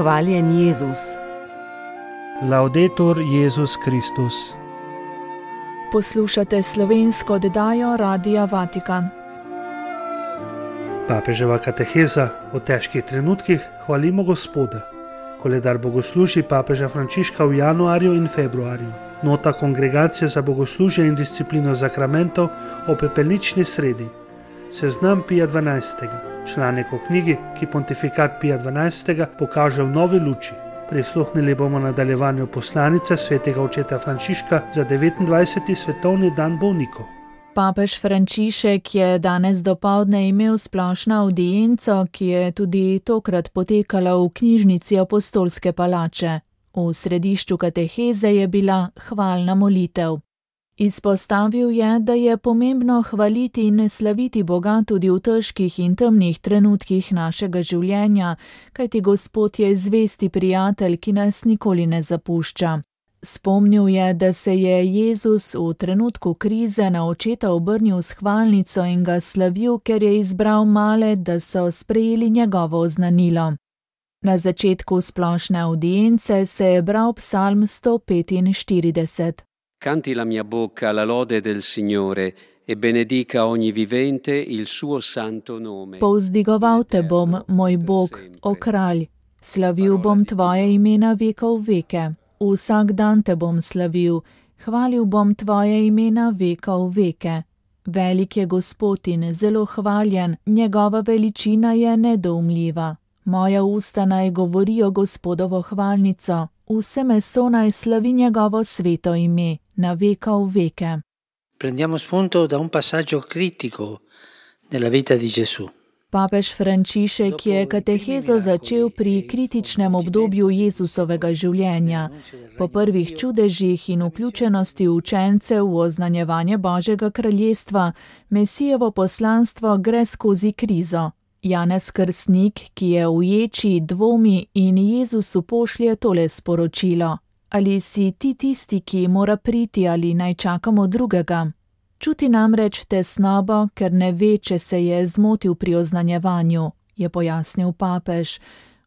Hvaljen Jezus. Laudetur Jezus Kristus. Poslušate slovensko oddajo Radia Vatikan. Papeževa kateheza o težkih trenutkih hvalimo Gospoda. Koledar bogoslužij papeža Frančiška v januarju in februarju. Nota Kongregacije za bogoslužje in disciplino zakramentov o pepelnični sredi. Seznam Pija XII. Članek o knjigi, ki pontifikat Pija XII. Pokaže v novi luči. Prisluhnili bomo nadaljevanju poslanice svetega očeta Frančiška za 29. svetovni dan bolnikov. Papež Frančišek je danes dopoldne imel splošno avdienco, ki je tudi tokrat potekala v knjižnici Apostolske palače. V središču kateheze je bila hvalna molitev. Izpostavil je, da je pomembno hvaliti in slaviti Boga tudi v težkih in temnih trenutkih našega življenja, kajti Gospod je zvesti prijatelj, ki nas nikoli ne zapušča. Spomnil je, da se je Jezus v trenutku krize na očeta obrnil s hvalnico in ga slavil, ker je izbral male, da so sprejeli njegovo oznanilo. Na začetku splošne avdience se je bral psalm 145. Canti la mia bocca la lode del Signore e benedica ogni vivente il suo santo nome. Povzdigoval te bom, moj Bog, o kralj, slavil bom tvoje ime na vekov veke. Vsak dan te bom slavil, hvalil bom tvoje ime na vekov veke. Velik je Gospod in zelo hvaljen, njegova veličina je nedoumljiva. Moja usta naj govorijo Gospodovo hvalnico, vse meso naj slavi njegovo sveto ime, na vekov veke. Prendiamo spunto da un passaggio critico nella vita di Gesù. Papež Frančišek je katehezo začel pri kritičnem obdobju Jezusovega življenja. Po prvih čudežih in vključenosti učencev v oznanjevanje Božjega kraljestva, Mesijevo poslanstvo gre skozi krizo. Janez Krstnik, ki je v ječi, dvomi in Jezusu pošlje tole sporočilo. Ali si ti tisti, ki mora priti, ali naj čakamo drugega? Čuti namreč tesnobo, ker ne ve, če se je zmotil pri oznanjevanju, je pojasnil papež.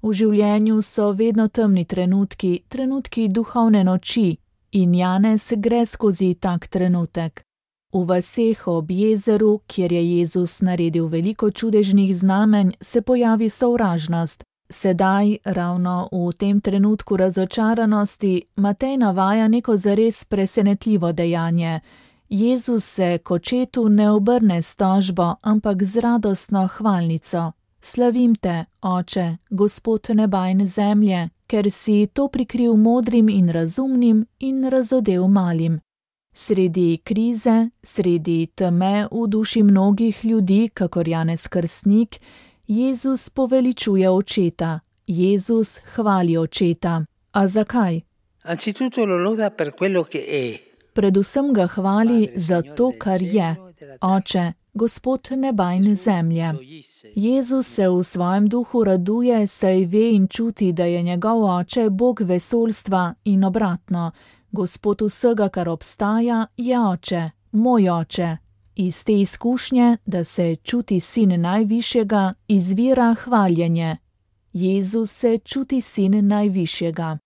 V življenju so vedno temni trenutki, trenutki duhovne noči, in Janez gre skozi tak trenutek. V vaseh ob jezeru, kjer je Jezus naredil veliko čudežnih znamenj, se pojavi sovražnost. Sedaj, ravno v tem trenutku razočaranosti, Matej navaja neko zares presenetljivo dejanje. Jezus se k očetu ne obrne s tožbo, ampak z radostno hvalnico. Slavim te, Oče, Gospod neba in zemlje, ker si to prikril modrim in razumnim in razodel malim. Sredi krize, sredi teme v duši mnogih ljudi, kakor Janez Krstnik, Jezus poveličuje očeta. Jezus hvali očeta. A zakaj? Anzitutto lo loda per quello che è. Predvsem ga hvali za to, kar je. Oče, Gospod neba in zemlje. Jezus se v svojem duhu raduje, saj ve in čuti, da je njegov oče Bog vesoljstva in obratno. Gospod vsega, kar obstaja, je oče, moj oče. Iz te izkušnje, da se čuti sin najvišjega, izvira hvaljenje. Jezus se čuti sin najvišjega.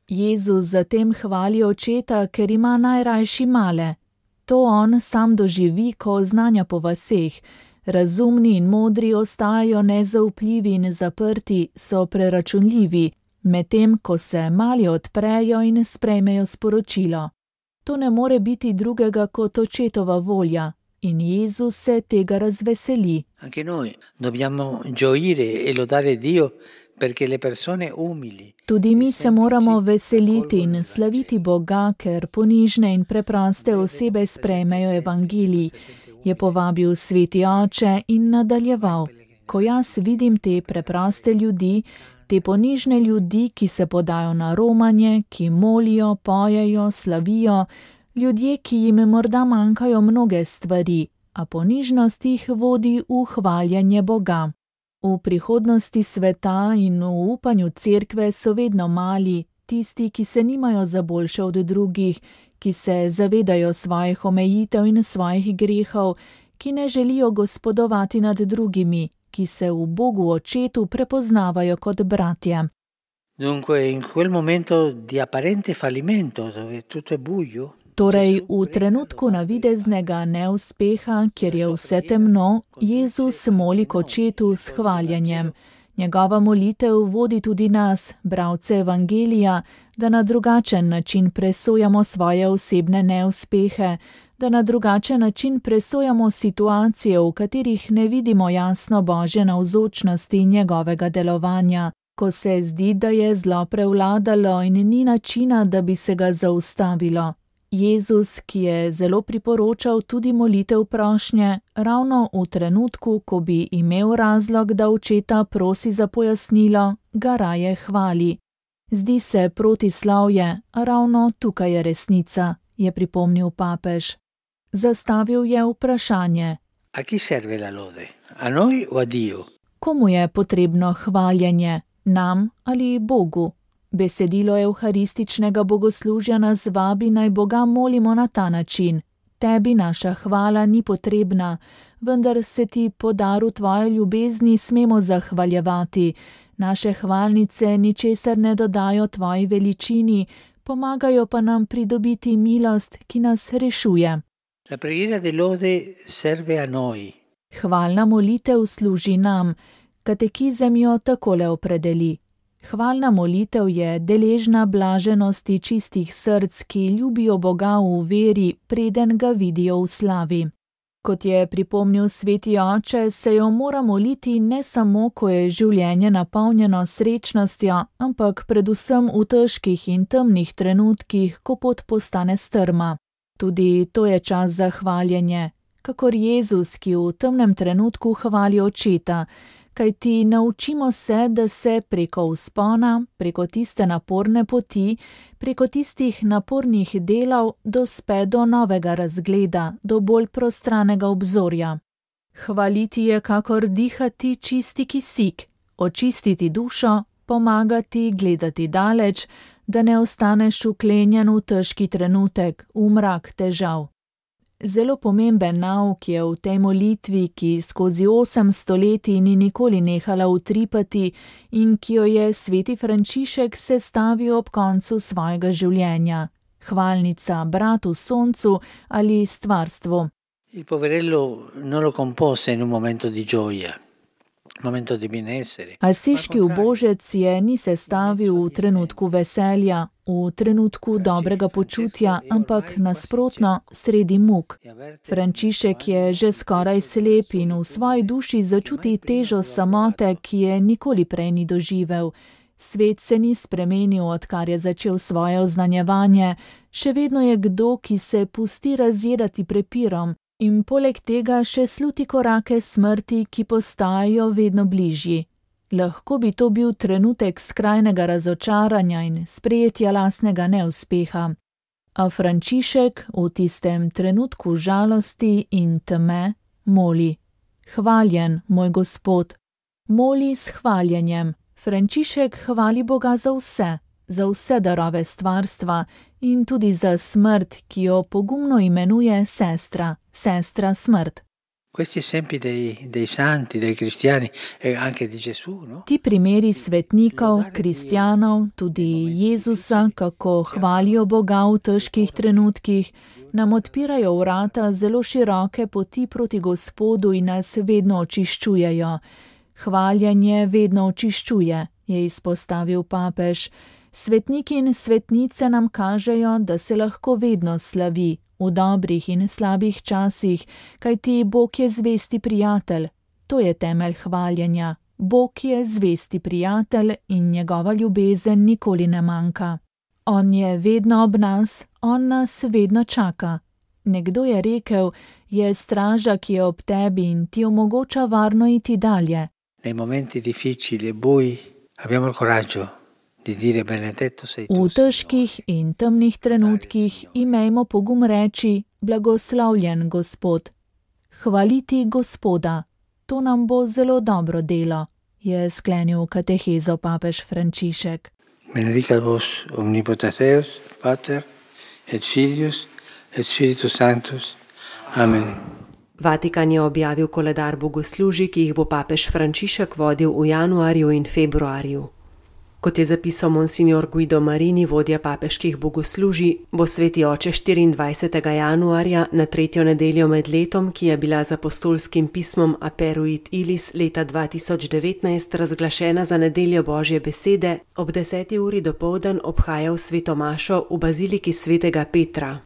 Jezus zatem hvali očeta, ker ima najrajši male. To on sam doživi, ko oznanja po vaseh. Razumni in modri ostajajo nezaupljivi in zaprti, so preračunljivi, medtem ko se mali odprejo in sprejmejo sporočilo. To ne more biti drugega kot očetova volja. In Jezus se tega razveseli. Anche noi dobbiamo gioire e lodare Dio perché le persone umili. Tudi mi se moramo veseliti in slaviti Boga, ker ponižne in preproste osebe sprejmejo evangelij, je povabil sveti oče in nadaljeval. Ko jaz vidim te preproste ljudi, te ponižne ljudi, ki se podajo na romanje, ki molijo, pojejo, slavijo, ljudje, ki jim morda manjkajo mnoge stvari, a ponižnost jih vodi v hvaljenje Boga. V prihodnosti sveta in v upanju cerkve so vedno mali, tisti, ki se nimajo za boljše od drugih, ki se zavedajo svojih omejitev in svojih grehov, ki ne želijo gospodovati nad drugimi, ki se v Bogu Očetu prepoznavajo kot bratje. Dunque, in quel momento di apparente fallimento, dove tutto è buio, Torej, v trenutku navideznega neuspeha, kjer je vse temno, Jezus moli k Očetu s hvaljenjem. Njegova molitev vodi tudi nas, bralce Evangelija, da na drugačen način presojamo svoje osebne neuspehe, da na drugačen način presojamo situacije, v katerih ne vidimo jasno Božje navzočnosti in njegovega delovanja, ko se zdi, da je zlo prevladalo in ni načina, da bi se ga zaustavilo. Jezus, ki je zelo priporočal tudi molitev prošnje, ravno v trenutku, ko bi imel razlog, da Očeta prosi za pojasnilo, ga raje hvali. Zdi se protislovje, a ravno tukaj je resnica, je pripomnil papež. Zastavil je vprašanje. A chi serve la lode? A noi o a Dio? Komu je potrebno hvaljenje? Nam ali Bogu? Besedilo evharističnega bogoslužja nas vabi, naj Boga molimo na ta način. Tebi naša hvala ni potrebna, vendar se ti po daru tvoje ljubezni smemo zahvaljevati. Naše hvalnice ničesar ne dodajo tvoji veličini, pomagajo pa nam pridobiti milost, ki nas rešuje. La preghiera de lode serve a noi. Hvalna molitev služi nam. Katekizem jo takole opredeli. Hvalna molitev je deležna blaženosti čistih src, ki ljubijo Boga v veri, preden ga vidijo v slavi. Kot je pripomnil sveti oče, se jo mora moliti ne samo, ko je življenje napolnjeno srečnostjo, ampak predvsem v težkih in temnih trenutkih, ko pot postane strma. Tudi to je čas za hvaljenje, kakor Jezus, ki v temnem trenutku hvali Očeta, kajti naučimo se, da se preko vzpona, preko tiste naporne poti, preko tistih napornih delov dospe do novega razgleda, do bolj prostranega obzorja. Hvaliti je kakor dihati čisti kisik, očistiti dušo, pomagati gledati daleč, da ne ostaneš vklenjen v težki trenutek, v mrak težav. Zelo pomemben nauk je v tej molitvi, ki skozi 8 stoletij ni nikoli nehala utripati in ki jo je sveti Frančišek sestavil ob koncu svojega življenja. Hvalnica bratu soncu ali stvarstvu. Il poverello non lo compose in un momento di gioia, momento di benessere. Asiški ubožec je ni sestavil v trenutku veselja, v trenutku dobrega počutja, ampak nasprotno, sredi muk. Frančišek je že skoraj slep in v svoji duši začuti težo samote, ki je nikoli prej ni doživel. Svet se ni spremenil, odkar je začel svoje oznanjevanje, še vedno je kdo, ki se pusti razjedati prepirom in poleg tega še sluti korake smrti, ki postajajo vedno bližji. Lahko bi to bil trenutek skrajnega razočaranja in sprejetja lastnega neuspeha. A Frančišek v tistem trenutku žalosti in teme moli: Hvaljen, moj Gospod. Moli s hvaljenjem. Frančišek hvali Boga za vse darove stvarstva in tudi za smrt, ki jo pogumno imenuje sestra smrt. Questi esempi dei santi, dei cristiani e anche di Gesù, no? Ti primeri svetnikov, kristjanov, tudi Jezusa, kako hvalijo Boga v težkih trenutkih, nam odpirajo vrata zelo široke poti proti Gospodu in nas vedno očiščujejo. Hvaljenje vedno očiščuje, je izpostavil papež. Svetniki in svetnice nam kažejo, da se lahko vedno slavi, v dobrih in slabih časih, kajti Bog je zvesti prijatelj. To je temelj hvaljenja. Bog je zvesti prijatelj in njegova ljubezen nikoli ne manjka. On je vedno ob nas, on nas vedno čaka. Nekdo je rekel, je straža, ki je ob tebi in ti omogoča varno iti dalje. Nei momenti difficili e bui abbiamo il coraggio di dire benedetto sei tu. V težkih in temnih trenutkih imejmo pogum reči: blagoslavljen Gospod. Hvaliti Gospoda, to nam bo zelo dobro delo, je sklenil katehezo papež Frančišek. Benedicat vos omnipotens Deus, Pater et Filius et Spiritus Sanctus. Amen. Vatikan je objavil koledar bogoslužij, ki jih bo papež Frančišek vodil v januarju in februarju. Kot je zapisal monsignor Guido Marini, vodja papeških bogoslužij, bo sveti oče 24. januarja na 3. nedeljo med letom, ki je bila z apostolskim pismom Aperuit Ilis leta 2019 razglašena za nedeljo Božje besede, ob 10. uri dopoldan obhajal sveto mašo v baziliki svetega Petra.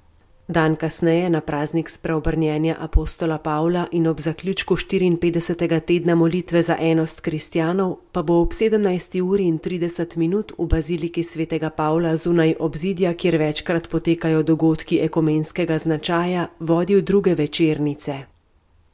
Dan kasneje, na praznik spreobrnjenja apostola Pavla in ob zaključku 54. tedna molitve za enost kristjanov, pa bo ob 17. uri in 30 minut v baziliki svetega Pavla zunaj obzidja, kjer večkrat potekajo dogodki ekumenskega značaja, vodil druge večernice.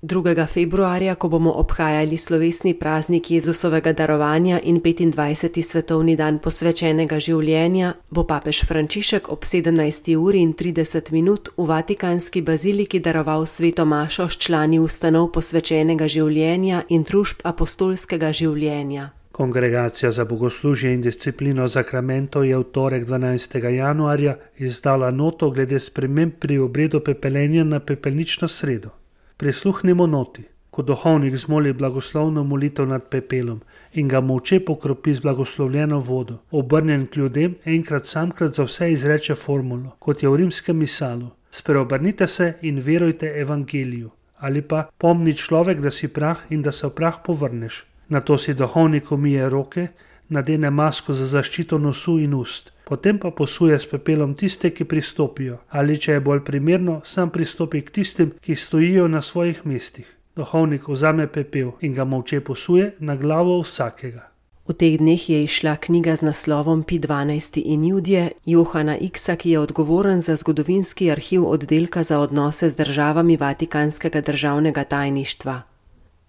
2. februarja, ko bomo obhajali slovesni praznik Jezusovega darovanja in 25. svetovni dan posvečenega življenja, bo papež Frančišek ob 17. uri in 30 minut v Vatikanski baziliki daroval sveto mašo s člani ustanov posvečenega življenja in družb apostolskega življenja. Kongregacija za bogoslužje in disciplino zakramentov je v torek 12. januarja izdala noto glede sprememb pri obredu pepelenja na pepelnično sredo. Prisluhnimo noti, ko duhovnik zmoli blagoslovno molitev nad pepelom in ga molče pokropi z blagoslovljeno vodo, obrnjen k ljudem, enkrat samkrat za vse izreče formulo, kot je v rimskem misalu: spreobrnite se in verujte evangeliju, ali pa pomni človek, da si prah in da se v prah povrneš. Nato si duhovnik umije roke, nadene masko za zaščito nosu in ust, potem pa posuje s pepelom tiste, ki pristopijo, ali če je bolj primerno, sam pristopi k tistim, ki stojijo na svojih mestih. Duhovnik vzame pepel in ga molče posuje na glavo vsakega. V teh dneh je izšla knjiga z naslovom Pi 12. in Judje Johana Iksa, ki je odgovoren za zgodovinski arhiv oddelka za odnose z državami Vatikanskega državnega tajništva.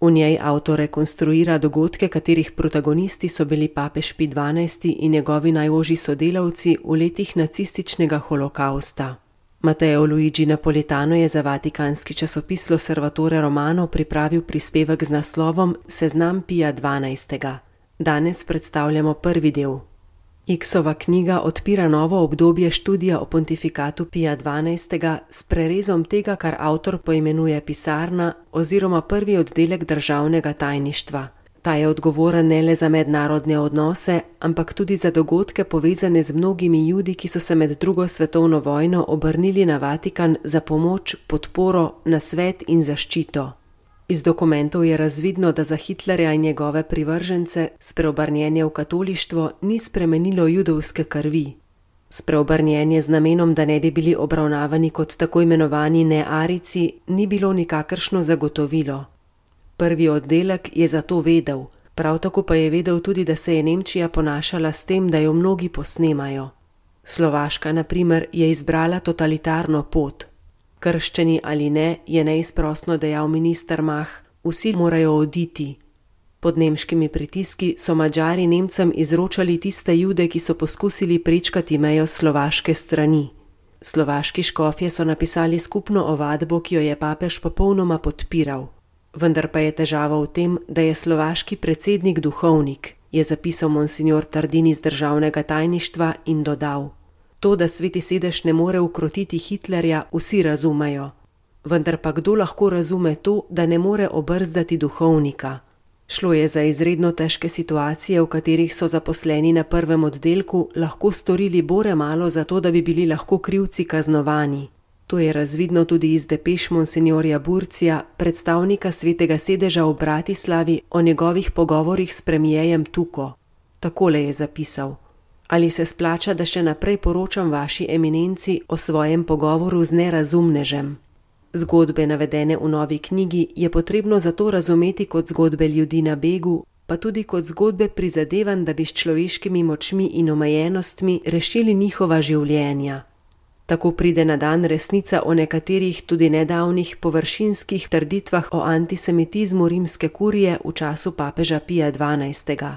V njej avtor rekonstruira dogodke, katerih protagonisti so bili papež Pi 12. in njegovi najožji sodelavci v letih nacističnega holokausta. Matteo Luigi Napolitano je za vatikanski časopis L'Osservatore Romano pripravil prispevek z naslovom Seznam Pija 12. Danes predstavljamo prvi del. Iksova knjiga odpira novo obdobje študija o pontifikatu Pija 12. s prerezom tega, kar avtor poimenuje pisarna oziroma prvi oddelek državnega tajništva. Ta je odgovoren ne le za mednarodne odnose, ampak tudi za dogodke povezane z mnogimi Judi, ki so se med drugo svetovno vojno obrnili na Vatikan za pomoč, podporo, nasvet in zaščito. Iz dokumentov je razvidno, da za Hitlerja in njegove privržence spreobrnjenje v katolištvo ni spremenilo judovske krvi. Spreobrnjenje z namenom, da ne bi bili obravnavani kot tako imenovani nearici, ni bilo nikakršno zagotovilo. Prvi oddelek je zato vedel, prav tako pa je vedel tudi, da se je Nemčija ponašala s tem, da jo mnogi posnemajo. Slovaška, na primer, je izbrala totalitarno pot. Krščeni ali ne, je neizprosno dejal minister Mah, vsi morajo oditi. Pod nemškimi pritiski so Madžari Nemcem izročali tiste Jude, ki so poskusili prečkati mejo slovaške strani. Slovaški škofje so napisali skupno ovadbo, ki jo je papež popolnoma podpiral. Vendar pa je težava v tem, da je slovaški predsednik duhovnik, je zapisal monsignor Tardini z državnega tajništva in dodal: to, da sveti sedež ne more ukrotiti Hitlerja, vsi razumejo. Vendar pa kdo lahko razume to, da ne more obrzdati duhovnika? Šlo je za izredno težke situacije, v katerih so zaposleni na prvem oddelku lahko storili bore malo za to, da bi bili lahko krivci kaznovani. To je razvidno tudi iz depeš monsignorja Burcija, predstavnika svetega sedeža v Bratislavi, o njegovih pogovorih s premijejem Tuko. Takole je zapisal: ali se splača, da še naprej poročam vaši eminenci o svojem pogovoru z nerazumnežem? Zgodbe navedene v novi knjigi je potrebno zato razumeti kot zgodbe ljudi na begu, pa tudi kot zgodbe prizadevanj, da bi s človeškimi močmi in omejenostmi rešili njihova življenja. Tako pride na dan resnica o nekaterih tudi nedavnih površinskih trditvah o antisemitizmu rimske kurije v času papeža Pija 12.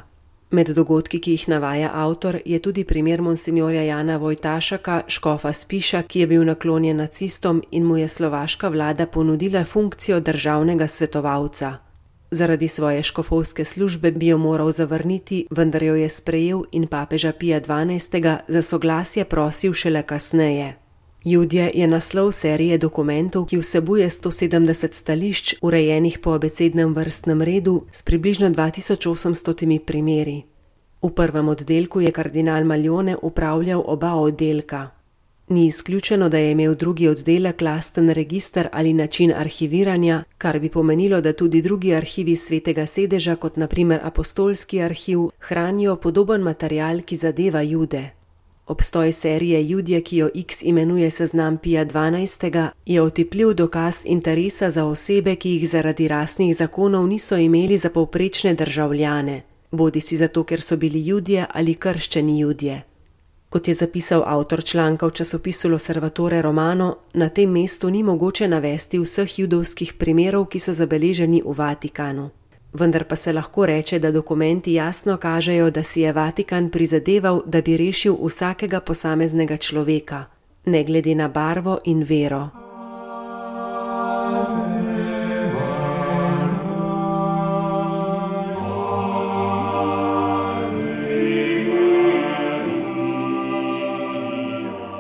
Med dogodki, ki jih navaja avtor, je tudi primer monsignorja Jana Vojtašaka, škofa Spiša, ki je bil naklonjen nacistom in mu je slovaška vlada ponudila funkcijo državnega svetovalca. Zaradi svoje škofovske službe bi jo moral zavrniti, vendar jo je sprejel in papeža Pija 12. za soglasje prosil šele kasneje. Judje je naslov serije dokumentov, ki vsebuje 170 stališč, urejenih po abecednem vrstnem redu s približno 2800 primeri. V prvem oddelku je kardinal Maljone upravljal oba oddelka. Ni izključeno, da je imel drugi oddelek lasten register ali način arhiviranja, kar bi pomenilo, da tudi drugi arhivi Svetega sedeža, kot na primer apostolski arhiv, hranijo podoben material, ki zadeva Jude. Obstoj serije Judje, ki jo X imenuje seznam Pija XII., je otipljiv dokaz interesa za osebe, ki jih zaradi rasnih zakonov niso imeli za povprečne državljane, bodisi zato, ker so bili Judje ali krščeni Judje. Kot je zapisal avtor članka v časopisu L'Osservatore Romano, na tem mestu ni mogoče navesti vseh judovskih primerov, ki so zabeleženi v Vatikanu. Vendar pa se lahko reče, da dokumenti jasno kažejo, da si je Vatikan prizadeval, da bi rešil vsakega posameznega človeka, ne glede na barvo in vero.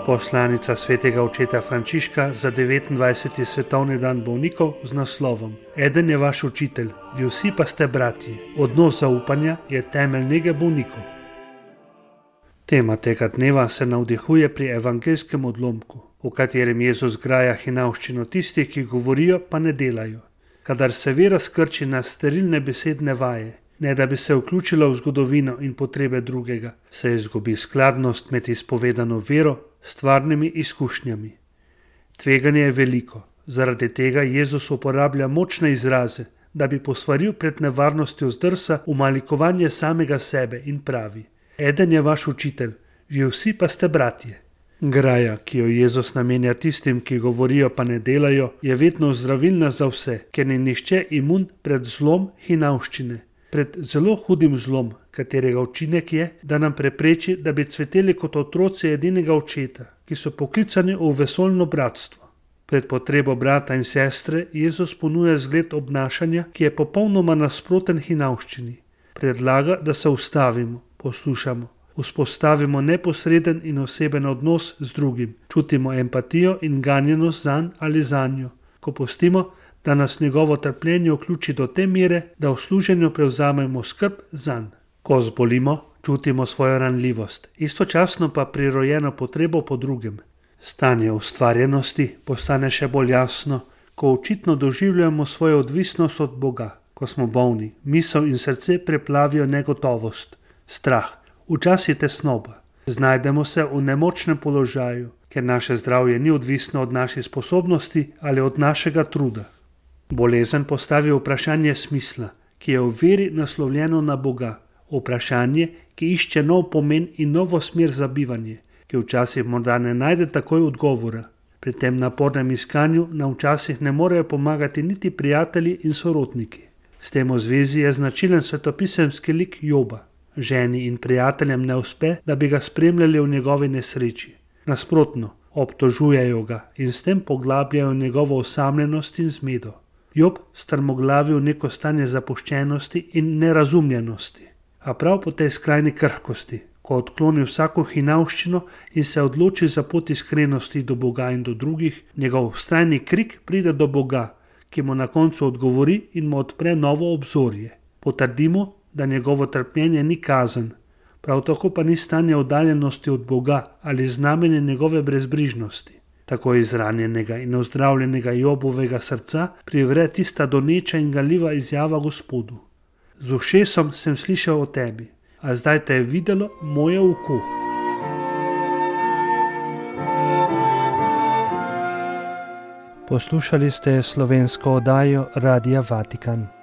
Poslanica svetega očeta Frančiška za 29. svetovni dan bolnikov z naslovom Eden je vaš učitelj, vi vsi pa ste bratji. Odnos zaupanja je temelj nege bolnikov. Tema tega dneva se navdihuje pri evangeljskem odlomku, v katerem Jezus graja hinavščino tistih, ki govorijo, pa ne delajo. Kadar se vera skrči na sterilne besedne vaje, ne da bi se vključila v zgodovino in potrebe drugega, se izgubi skladnost med izpovedano vero, stvarnimi izkušnjami. Tveganje je veliko, zaradi tega Jezus uporablja močne izraze, da bi posvaril pred nevarnostjo zdrsa v malikovanje samega sebe in pravi: Eden je vaš učitelj, vi vsi pa ste bratje. Graja, ki jo Jezus namenja tistim, ki govorijo pa ne delajo, je vedno zdravilna za vse, ker ni nihče imun pred zlom hinavščine, pred zelo hudim zlom, katerega učinek je, da nam prepreči, da bi cveteli kot otroci edinega očeta, ki so poklicani v vesoljno bratstvo. Pred potrebo brata in sestre Jezus ponuja zgled obnašanja, ki je popolnoma nasproten hinavščini. Predlaga, da se ustavimo, poslušamo, vzpostavimo neposreden in oseben odnos z drugim, čutimo empatijo in ganjenost zanj ali zanjo, ko pustimo, da nas njegovo trpljenje vključi do te mere, da v služenju prevzamemo skrb zanj. Ko zbolimo, čutimo svojo ranljivost, istočasno pa prirojeno potrebo po drugem. Stanje ustvarjenosti postane še bolj jasno, ko očitno doživljamo svojo odvisnost od Boga. Ko smo bolni, misel in srce preplavijo negotovost, strah, včasih tesnoba. Znajdemo se v nemočnem položaju, ker naše zdravje ni odvisno od naših sposobnosti ali od našega truda. Bolezen postavi vprašanje smisla, ki je v veri naslovljeno na Boga. Vprašanje, ki išče nov pomen in novo smer za bivanje, ki včasih morda ne najde takoj odgovora. Pri tem napornem iskanju nam včasih ne morejo pomagati niti prijatelji in sorodniki. S tem v zvezi je značilen svetopisemski lik Joba. Ženi in prijateljem ne uspe, da bi ga spremljali v njegovi nesreči. Nasprotno, obtožujejo ga in s tem poglabljajo njegovo osamljenost in zmedo. Job strmoglavi v neko stanje zapuščenosti in nerazumljenosti. A prav po tej skrajni krhkosti, ko odkloni vsako hinavščino in se odloči za pot iskrenosti do Boga in do drugih, njegov vztrajni krik pride do Boga, ki mu na koncu odgovori in mu odpre novo obzorje. Potrdimo, da njegovo trpljenje ni kazen, prav tako pa ni stanje oddaljenosti od Boga ali znamenje njegove brezbrižnosti. Tako izranjenega in ozdravljenega Jobovega srca privre tista doneča in galjiva izjava Gospodu. Z ušesom sem slišal o tebi, a zdaj te je videlo moje oko. Poslušali ste slovensko oddajo Radia Vatikan.